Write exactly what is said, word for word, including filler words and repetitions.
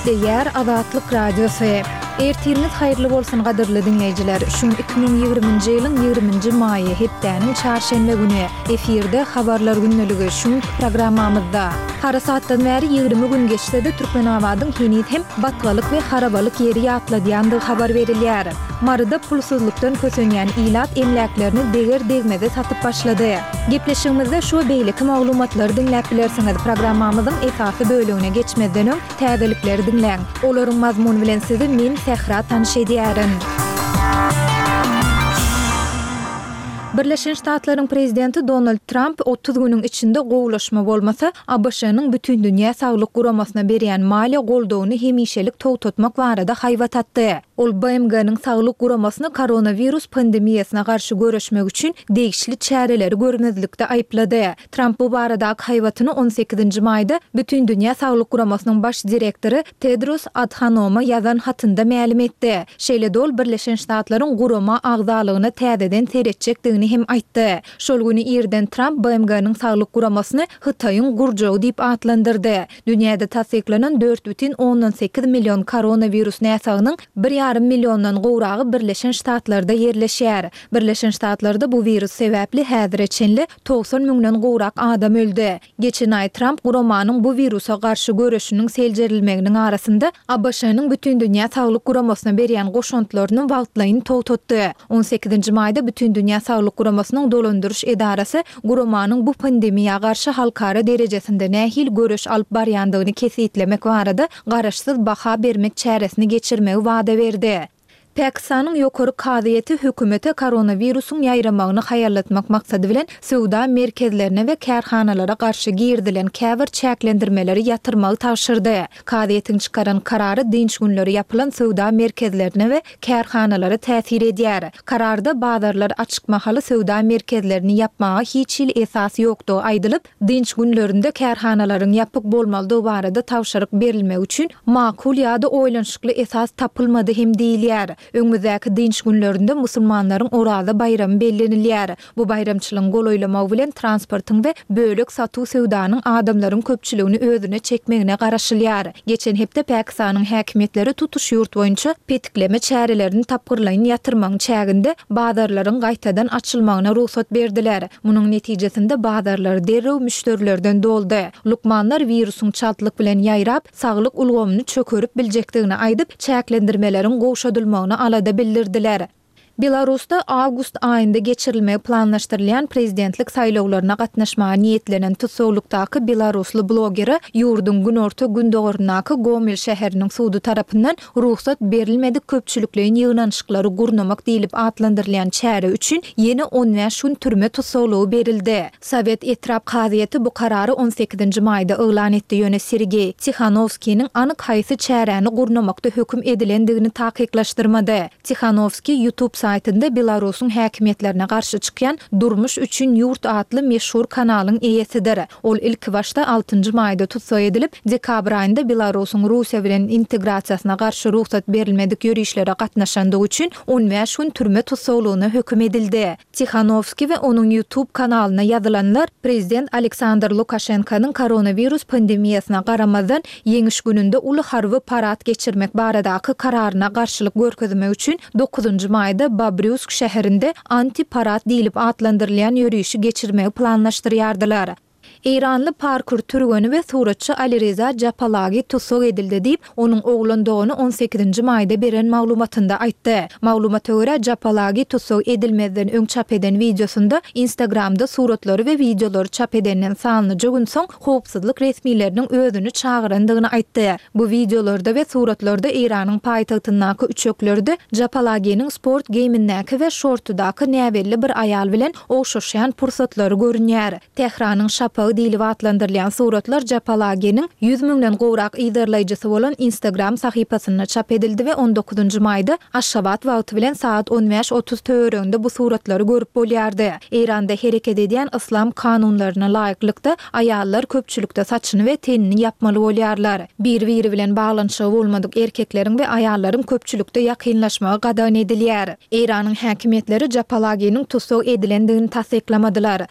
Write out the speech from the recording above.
Gepleýär Azatlyk Radiosy. Ertiriňiz haýyrly bolsun gadyrly diňleýjiler. Şu gün iki müň ýigriminji ýylyň ýigriminji maýy, hepdäniň çarşenbe güni. Efirde Habarlar gündeligi şu günki programmamyzda. Harasatdan bäri ýigrimi gün geçse-de Türkmenabadyň heniz hem batgalyk we harabalyk ýeri ýatladýandygy habar berilýär. Maryda pulsuzlykdan kösenýän ilat emläklerini deger-degmeze satyp başlady. Gepleşigimizde şu we beýleki maglumatlary diňläp bilersiňiz. Programmamyzyň esasy bölegine geçmezden öň, täzelikleri diňläň. Olaryň mazmuny bilen sizi men, Sähra tanyş edýärin. Birleşen Ştatlaryň prezidenti Donald Tramp otuz günüň içinde gowulaşma bolmasa, ABŞ-nyň Bütindünýä saglyk guramasyna berýän maliýe goldawyny hemişelik togtatmak barada haýbat atdy. Ol B M G-niň saglyk guramasyny koronawirus pandemiýasyna garşy göreşmek üçin degişli çäreleri görmezlikde aýyplady. Tramp bu baradaky haýbatyny on sekizinji maýda Bütindünýä saglyk guramasynyň baş direktory Tedros Adhanoma ýazan hatynda mälim etdi. Şeýle-de ol Birleşen Ştatlaryň gurama agzalygyna täzeden seretjekdigini hem aýtdy. Şol güni irden Tramp B M G-niň saglyk guramasyny Hytaýyň gurjagy diýip atlandyrdy. Dünýäde tassyklanan dört bütin ondan sekiz million koronawirus näsagynyň bir ýarym milliondan gowragy Birleşen Ştatlarda ýerleşýär. Birleşen Ştatlarda bu wirus sebäpli häzire çenli togsan müňden gowrak adam öldi. Geçen aý Tramp guramanyň bu wirusa garşy göreşiniň seljerilmeginiň arasynda A B Ş-nyň Bütindünýä saglyk guramasyna berýän goşantlaryny wagtlaýyn togtatdy. On sekizinji maýda Bütindünýä saglyk guramasynyň dolandyryş edarasy guramanyň bu pandemiýa garşy halkara derejesinde nähili göreş alyp barýandygyny kesgitlemek barada garaşsyz baha bermek çäresini geçirmegi wada berdi. Pakistanyň ýokary kazyýeti hökümete koronawirusyň ýaýramagyny haýallatmak maksady bilen söwda merkezlerine we kärhanalara garşy girizilen käbir çäklendirmeleri ýatyrmagy tabşyrdy. Kazyýetiň çykaran karary dynç günleri ýapylan söwda merkezlerine we kärhanalara täsir edýär. Kararda bazarlar açyk mahaly söwda merkezlerini ýapmaga hiç hili esas ýokdugy aýdylyp, dynç günlerinde kärhanalaryň ýapyk bolmalydygy barada tabşyryk berilmegi üçin makul ýa-da oýlanyşykly esas tapylmady hem diýilýär. Öňümizdäki dynç günlerinde musulmanlaryň Oraza baýramy bellenilýär. Bu baýramçylygyň golaýlamagy bilen transportyň we bölek satuw söwdanyň adamlaryň köpçüligini özüne çekmegine garaşylýar. Geçen hepde Pakistanyň häkimiýetleri tutuş ýurt boýunça petikleme çärelerini tapgyrlaýyn ýatyrmagyň çäginde bazarlaryň gaýtadan açylmagyna rugsat berdiler. Munuň netijesinde bazarlar derrew müşderilerden doldy. Lukmanlar wirusyň çaltlyk bilen ýaýrap, saglyk ulgamyny çökerip biljekdigini aýdyp, çäklendirmeleriň gowşadylmagyna alada bildirdiler. Belarusda awgust aýynda geçirilmegi planlaşdyrylýan prezidentlik saýlawlaryna gatnaşmaga niýetlenen tussaglykdaky belarusly blogere ýurduň günorta-gündogaryndaky Gomel şäheriniň sudy tarapyndan rugsat berilmedik köpçülikleýin ýygnanyşyklary gurnamak diýlip atlandyrylýan çäre üçin ýene on bäş gün türme tussaglygy berildi. Sowet etrap kazyýeti bu karary on sekizinji maýda yglan etdi, ýöne Sergeý Tihanowskiniň anyk haýsy çäräni gurnamakda höküm edilendigini takyklaşdyrmady. Tihanowskiý YouTube saýtynda Belarusyň häkimiýetlerine garşy çykýan Durmuş üçin ýurt atly meşhur kanalyň eýesidir. Ol ilkibaşda altynjy maýda tussag edilip, dekabr aýynda Belarusyň Russiýa bilen integrasiýasyna garşy rugsat berilmedik ýörişlere gatnaşandygy üçin on bäş gün türme tussaglygyna höküm edildi. Tihanowskiý we onuň YouTube kanalyna ýazylanlar prezident Aleksandr Lukaşenkonyň koronawirus pandemiýasyna garamazdan Ýeňiş gününde uly harby parad geçirmek baradaky kararyna garşylyk görkezmek üçin dokuzynjy maýda Babrýusk şäherinde anti-parad diýlip atlandyrylýan ýörişi geçirmegi planlaşdyrýardylar. Eýranly parkur türgeni we suratçy Alireza Japalagi tussag edildi diýip, onuň oglan dogany on sekizinji maýda beren maglumatynda aýtdy. Maglumata görä, Japalagi tussag edilmezden öň çap eden wideosynda Instagramda suratlary we wideolary çap edenden sanlyja gün soň howpsuzlyk resmileriniň özüni çagyrandygyny aýtdy. Bu wideolarda we suratlarda Eýranyň paýtagtyndaky üçeklerde Japalaginiň sport geýimindäki we şortudaky näbelli bir aýal bilen ogşaşýan pursatlary görünýär. Tähranyň şapagy diýlip atlandyrylýan suratlar Japalaginiň ýüz müňden gowrak yzarlaýjysy bolan Instagram sahypasynda çap edildi we on dokuzynjy maýda Aşgabat wagty bilen sagat on bäş otuz töwereginde bu suratlary görüp bolýardy. Eýranda hereket edýän yslam kanunlaryna laýyklykda, aýallar köpçülikde saçyny we tenini ýapmaly bolýarlar. Bir-biri bilen baglanyşygy bolmadyk erkekleriň we aýallaryň köpçülikde ýakynlaşmagy gadagan edilýär. Eýranyň häkimiýetleri Japalaginiň tussag edilendigini tassyklamadylar.